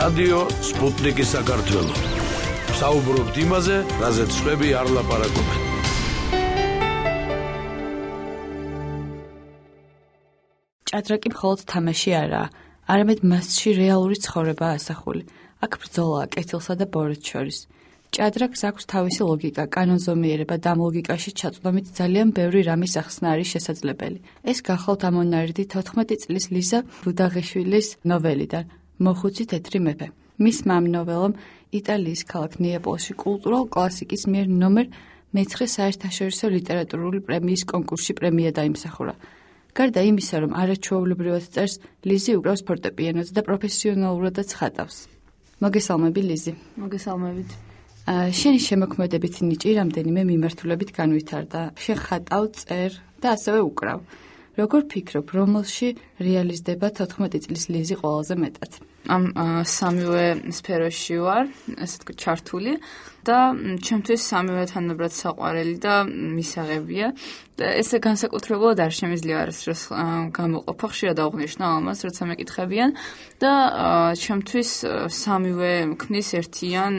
რადიო სპუტნიკი საქართველო. საუბრობთ იმაზე, რაზეც სხვები არ ლაპარაკობენ. ჭადრაკი მხოლოდ თამაში არაა, არამედ მასში რეალური ცხოვრებაა ასახული. აქ ბრძოლაა კეთილსა და ბოროტს შორის. ჭადრაკს აქვს თავისი ლოგიკა, კანონზომიერება და ამ ლოგიკაში ჩაწვდომით ძალიან ბევრი რამის ახსნა არის შესაძლებელი. ეს გახლავთ ამონარიდი 14 წლის ლიზა ბუდაღიშვილის ნოველიდან მოხუცი თეთრი მეფე. მისმა ამ ნოველამ იტალიის ქალაქ ნეაპოლში კულტურულ კლასიკის მიერ ნომერ მე-9 საერთაშორისო ლიტერატურული პრემიის კონკურსში პრემია დაიმსახურა. გარდა იმისა, რომ არაჩვეულებრივად წერს, ლიზი უკრავს ფორტეპიანოზე და პროფესიონალურადაც ხატავს. მოგესალმები, ლიზი. მოგესალმებით. შენი შემოქმედებით ნიჭი რამდენიმე მიმართულებით განვითარდა. შენ ხატავ, წერ და ასევე უკრავ. როგორ ფიქრობ, რომელში რეალიზდება 14 წლის ლიზი ყველაზე მეტად? ამ სამივე სფეროში ვარ, ესე თქვა, ჩართული და ჩემთვის სამივე თანაბრად საყვარელი და მისაღებია. და ესე განსაკუთრებულად არ შემიძლია არასდროს გამოყოფა, ხშირად აღვნიშნავ ამას, როცა მეკითხებიან და ჩემთვის სამივე ქმნის ერთიან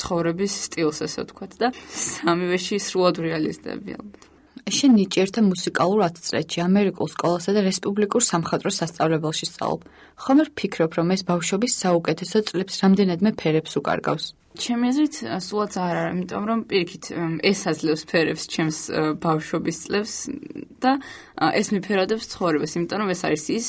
ცხოვრების სტილს, ესე ვთქვათ, და სამივეში სრულად რეალიზდები ალბათ. შენ ნიჭი ერთ მუსიკალურ ათწლედში ამერიკულ სკოლასა და რესპუბლიკურ სამხატვრო სასწავლებელში სწავლობ. ხომ არ ფიქრობ, რომ ეს ბავშვობის საუკეთესო წლებს რამდენადმე ფერებს უკარგავს? ჩემი აზრით, სულაც არ არის, იმიტომ რომ პირიქით ეს აძლევს ფერებს ჩემს ბავშვობის წლებს და ეს მიფერადებს ცხოვრებას, იმიტომ რომ ეს არის ის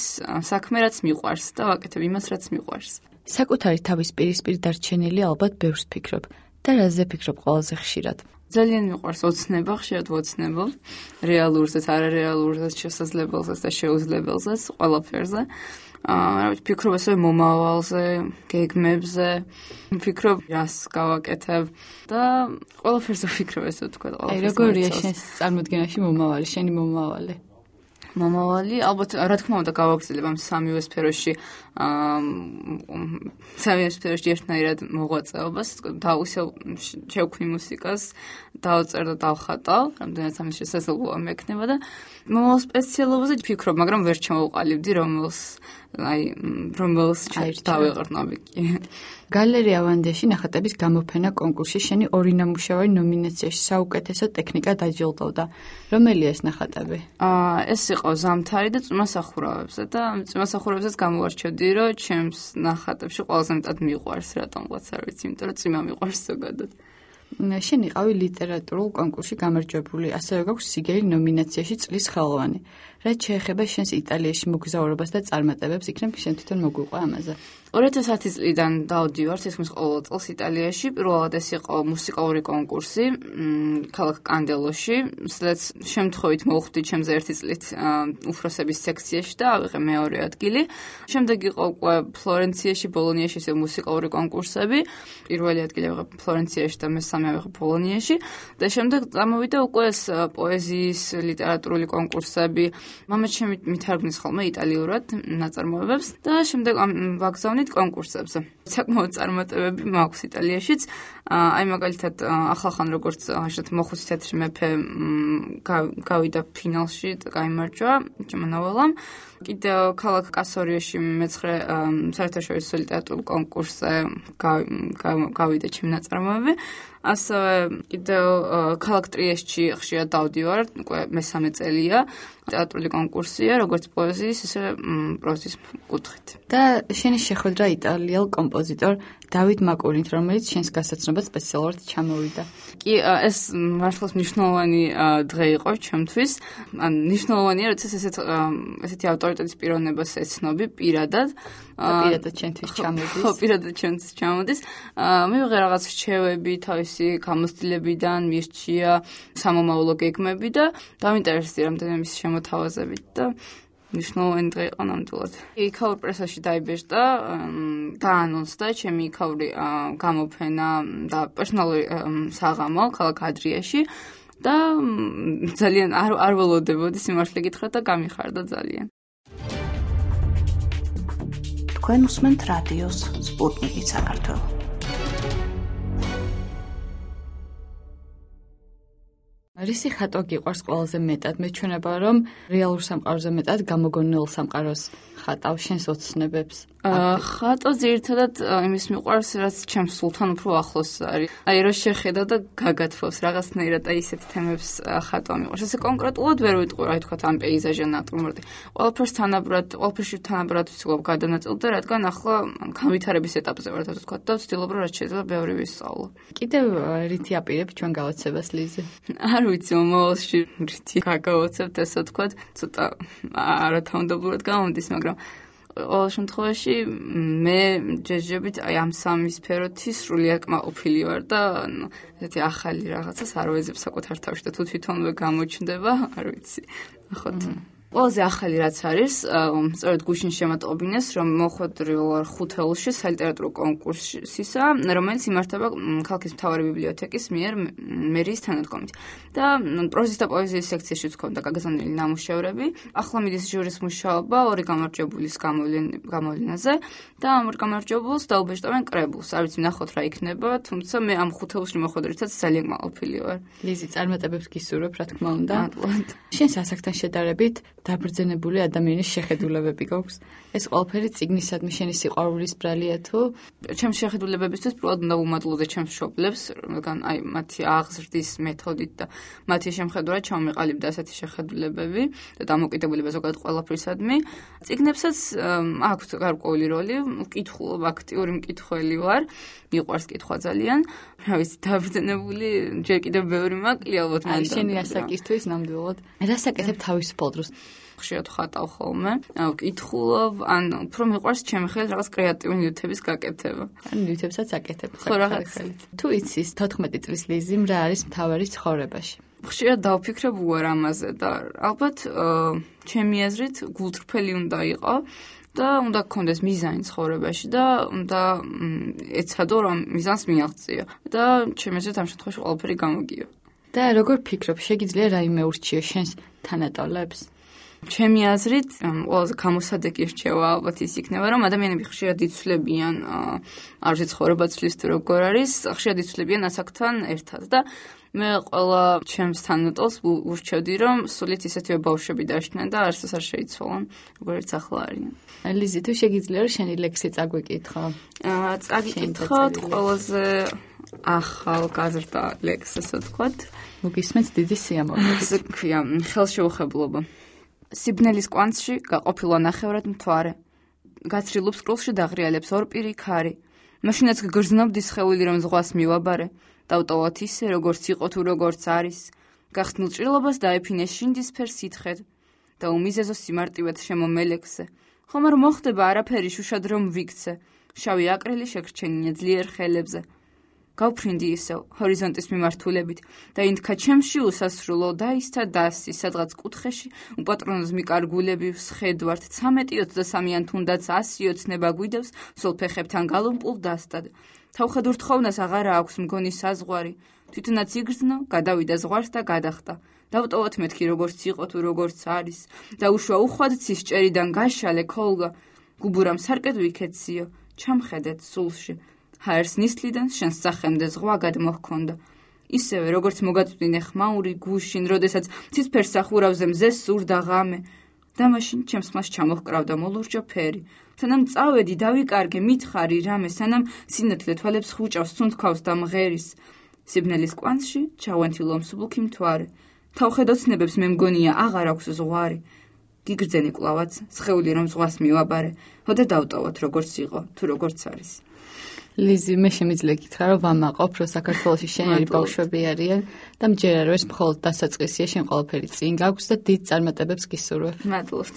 საქმე, რაც მიყვარს და ვაკეთებ იმას, რაც მიყვარს. საკუთარი თავის პირისპირ დარჩენილი ალბათ ბევრს ფიქრობ და რაზე ფიქრობ ყველაზე ხშირად? ძალიან მიყვარს ოცნება, ხშირად ვოცნებობ, რეალურზეც, არარეალურზეც, შესაძლებელზეც და შეუძლებელზეც, ყველაფერზე. ფიქრობ ასევე მომავალზე, გეგმებზე, ფიქრობ რას გავაკეთებ და ყველაფერზე ვფიქრობ, ესე ვთქვათ, ყველაფერზე. როგორია შენს წარმოდგენაში მომავალი, შენი მომავალი? მომავალი, ალბათ, რა თქმა უნდა, გავაგრძელებ ამ სამივე სფეროში ერთნაირად მოღვაწეობას, შევქმნი მუსიკას, დავწერ და დავხატავ, რამდენიც ამის შესაძლებლობა მექნება და მომავალ სპეციალობაზე ვფიქრობ, მაგრამ ვერ ჩამოვყალიბდი, რომელს დავეღრნობი კი. გალერეა ვანდეში ნახატების გამოფენა კონკურსში შენი ორი ნამუშევარი ნომინაციაში საუკეთესო ტექნიკა დაჯილდოვდა. რომელია ეს ნახატები? ეს იყო ზამთარი და წვიმასახურავებზე და წვიმასახურავებზეც გამოვარჩევდი, რომ ჩემს ნახატებში ყველაზე მეტად მიყვარს, რატომღაც არ ვიცი, იმიტომ რომ წვიმა მიყვარს ზოგადად. შენ იყავი ლიტერატურულ კონკურსში გამარჯვებული, ასევე გაქვს სიგელი ნომინაციაში წლის ხელოვანი. რაც შეეხება შენს იტალიაში მოგზაურობას და წარმატებებს, იქნებ შენ თვითონ მოგვიყვა ამაზე. 2010 წლიდან დავდივარ თითქმის ყოველ წელს იტალიაში. პირველად ეს იყო მუსიკალური კონკურსი ქალაქ კანდელოში, სადაც შემთხვევით მოვხვდი ჩემზე ერთი წლით უფროსების სექციაში და ავიღე მეორე ადგილი. შემდეგ იყო უკვე ფლორენციაში, ბოლონიაში ეს მუსიკალური კონკურსები. პირველი ადგილი ავიღე ფლორენციაში და მესამე ავიღე ბოლონიაში და შემდეგ წამოვიდა უკვე ეს პოეზიის, ლიტერატურული კონკურსები. მამაც მითარგმნის ხოლმე იტალიურად ნაწარმოებებს და შემდეგ ვაგზავნით კონკურსებზე. საკმაოდ წარმატებები მაქვს იტალიაშიც. აი მაგალითად ახლახან როგორც მოხუცი თეთრი მეფე გავიდა ფინალში და გაიმარჯვა ჩემო ნოველამ. კიდევ ქალაქ კასორიოში მე-9 საერთაშორისო ლიტერატურულ კონკურსზე გავიდა ჩემი ნაწარმოები. ასევე კიდევ ქალაქ ტრიესტში ხშირად დავდივარ, უკვე მესამე წელია. ლიტერატურული კონკურსია, როგორც პოეზიის, ისე პროზის კუთხით. და შენი შეხვედრა იტალიელ კომპოზიტორ დავით მაკურით, რომელიც შენს გასაცნობად სპეციალურად ჩამოვიდა. კი, ეს მართლაც მნიშვნელოვანი დღე იყო ჩემთვის. მნიშვნელოვანია, როცა ესეთი ავტორიტეტის პიროვნებას ეცნობი პირადად. პირადად ჩემთვის ჩამოდის. ხო, პირადად ჩემთვის ჩამოდის. მივიღე რაღაც რჩევები თავისი გამოცდილებიდან, მირჩია სამომავლო გეგმები და დავინტერესდი რამდენიმე მის შემოთავაზებით და მნიშვნელოვანი დღე იყო ნამდვილად. იქაურ პრესაში დაიბეჭდა, დაანონსდა ჩემი იქაური გამოფენა და პერსონალური საღამო ქალაქ ადრიაში და ძალიან არ ველოდებოდი სიმართლე გითხრათ და გამიხარდა ძალიან. თქვენ უსმენთ რადიოს სპუტნიკი საქართველო. რისი ხატვა გიყვარს ყველაზე მეტად? მეჩვენება რომ რეალურ სამყაროზე მეტად გამოგონილ სამყაროს ხატავ შენს ოცნებებს. ხატვა ძირითადად იმის მიყვარს, რაც ჩემს სულთან უფრო ახლოს არის. აი რა შეხედა და გაგათხოვს რაღაცნაირად აი ისეთ თემებს ხატვა მიყვარს. ესე კონკრეტულად ვერ ვიტყვი, აი თქვა ამ პეიზაჟი ნატურმორტი. ყველაფერს თანაბრად ვცდილობ გადანაწილდა, რადგან ახლა განვითარების ეტაპზე ვარ, ასე თქვა და ვცდილობ რომ რაც შეიძლება ბევრი ვისწავლო. კიდევ რითი აპირებ ჩვენ გავაცებას ლიზი? არ ვიცი, მომავალში რითი გაგავაცებთ, ასე თქვა, ცოტა არათანმდებობად გამოდის, მაგრამ ყოველ შემთხვევაში მე ჯეჯებით აი ამ სამი სფეროთი სრულიად კმაყოფილი ვარ და ესეთი ახალი რაღაცას არ ვეძებ საკუთარ თავში და თუ თვითონვე გამოჩნდება, არ ვიცი. ნახოთ. ყველაზე ახალი რაც არის, სწორედ გუშინ შემატყობინეს, რომ მოხვედრილ ვარ ხუთეულში სალიტერატურო კონკურსისა, რომელიც იმართება ქალაქის მთავარი ბიბლიოთეკის მიერ მერიის თანადგომით. და პროზის და პოეზიის სექციაში ვქონდა გაგზავნილი ნამუშევრები. ახლა მიდის ჟურის მუშაობა ორი გამარჯვებულის გამოვლენაზე და ამ ორ გამარჯვებულს დაუბეჭდავენ კრებულს. არ ვიცი ნახოთ რა იქნება, თუმცა მე ამ ხუთეულში მოხვედრითაც ძალიან კმაყოფილი ვარ. ლიზი, წარმატებებს გისურვებ, რა თქმა უნდა. შენს ასაკთან შედარებით დაბრძენებული ადამიანის შეხედულებები გვაქვს. ეს ყველაფერი წიგნისადმი შენი სიყვარულის ბრალია თუ? ჩემს შეხედულებებისთვის პირველად უნდა ვუმადლოდე ჩემს მშობლებს, რადგან აი მათი აღზრდის მეთოდით და მათი შემხედვრად ჩამოყალიბდა ასეთი შეხედულებები და დამოკიდებულება ზოგადად ყველაფრისადმი. წიგნებსაც აქვს გარკვეული როლი, ვკითხულობ, აქტიური მკითხველი ვარ, მიყვარს კითხვა ძალიან. რა ვიცი, დაბრძენებული ჯერ კიდევ ბევრი მაკლია ალბათ მანდ. შენი ასაკისთვის ნამდვილად. რასაკეთებ თავისუფალ დროს? ხშირად ხატავ ხოლმე, ვკითხულობ, ან უფრო მიყვარს ჩემი ხელით რაღაც კრეატიული ნივთების გაკეთება. ან ნივთებსაც აკეთებ. ხო რაღაც. თუ იცის 14 წლის ლიზიმ რა არის მთავარი ცხოვრებაში? ხშირად დავფიქრებ უარ ამაზე და ალბათ ჩემი აზრით გულწრფელი უნდა იყო და უნდა გქონდეს მიზანი ცხოვრებაში და უნდა ეცადო რომ მიზანს მიაღწიო და ჩემი აზრით ამ შემთხვევაში ყველაფერი გამოგიო. და როგორ ფიქრობ, შეგიძლია რაიმე ურჩიო შენს თანატოლებს? ჩემი აზრით, ყველაზე გამოსადეგი რჩევა ალბათ ის იქნება, რომ ადამიანები ხშირად იცვლებიან, არ ვიცი ცხოვრება ცვლის თუ როგორ არის, ხშირად იცვლებიან ასაკთან ერთად და მე ყველა ჩემს თანატოლს ურჩევდი, რომ სულით ისეთივე ბავშვები დაშნენ და არასდროს არ შეიცვალონ, როგორც ახლა არიან. ლიზი, თუ შეგიძლია რომ შენი ლექსი წაგვიკითხო? წაგიკითხოთ ყველაზე ახალგაზრდა ლექსს, ასე ვთქვათ. მოგისმენთ დიდი სიამოვნებით. ასე ქვია, ხელშეუხებლობა. სიბნელის კვანძში გაყოფილვა ნახევრად მთვარე. გაცრილ უსკროლში დაღრიალებს ორპირი ქარი. მაშინაც გგრძნობდი სხეული რომ ზღვას მივაბარე. დავტოვოთ ისე, როგორც იყო თუ როგორც არის. გახსნილ ჭრილობას დაეფინეს შინდისფერ სითხედ და უმიზეზო სიმარტივად შემომელექსე. ხომ არ მოხდება არაფერი შუშად რომ ვიქცე. შავი აკრილი შეგრჩენია ძლიერ ხელებზე. გავფრინდი ისევ ჰორიზონტის მიმართულებით და ინთქა ჩემში უსასრულო დაისცა დასი სადღაც კუთხეში უპატრონოს მიკარგულები ვსხედვართ 13-23-ან თუნდაც 100 ოცნება გვიდევს სულ ფეხებთან გალომპულ დასტად თავხად ურთხოვნას აღარა აქვს მგონი საზღვარი თვითონაც იგრძნო გადავიდა ზღვარს და გადახტა დავტოვოთ მეთქი როგორც იყო თუ როგორც არის და უშვა უხვად ცისჭერიდან გაშალე ქოლგა გუბურამ სარკედ ვიქეციო ჩამხედეთ სულში ჰაერს ნისლიდან შენს სახემდე ზღვა გადმოჰქონდა. ისევე როგორც მოგაწვდინე ხმაური გუშინ, როდესაც ცისფერ სახურავზე მზე სურდა ღამე. და მაშინ ჩემს მას ჩამოჰკრავდა მოლურჯო ფერი. სანამ წავედი დავიკარგე მითხარი რამე, სანამ სინათლე თვალებს ხუჭავს სუნთქავს და მღერის. სიბნელის კვანძში ჩავენთილო მსუბუქი მთვარე. თავხედოცნებებს მე მგონია აღარ აქვს ზღვარი. გიგრძენი კლავაც, სხეული რომ ზღვას მივაბარე. ჰოდა დავტოვოთ როგორც იყო, თუ როგორც არის. ლიზი, მე შემიძლია გითხრა, რომ ვამაყობ, რომ საქართველოში შენერი ბავშვები არიან და მჯერა რომ ეს მხოლოდ დასაწყისია, შენ ყველაფერი წინ გაქვს და დიდ წარმატებებს გისურვებ. მადლობთ.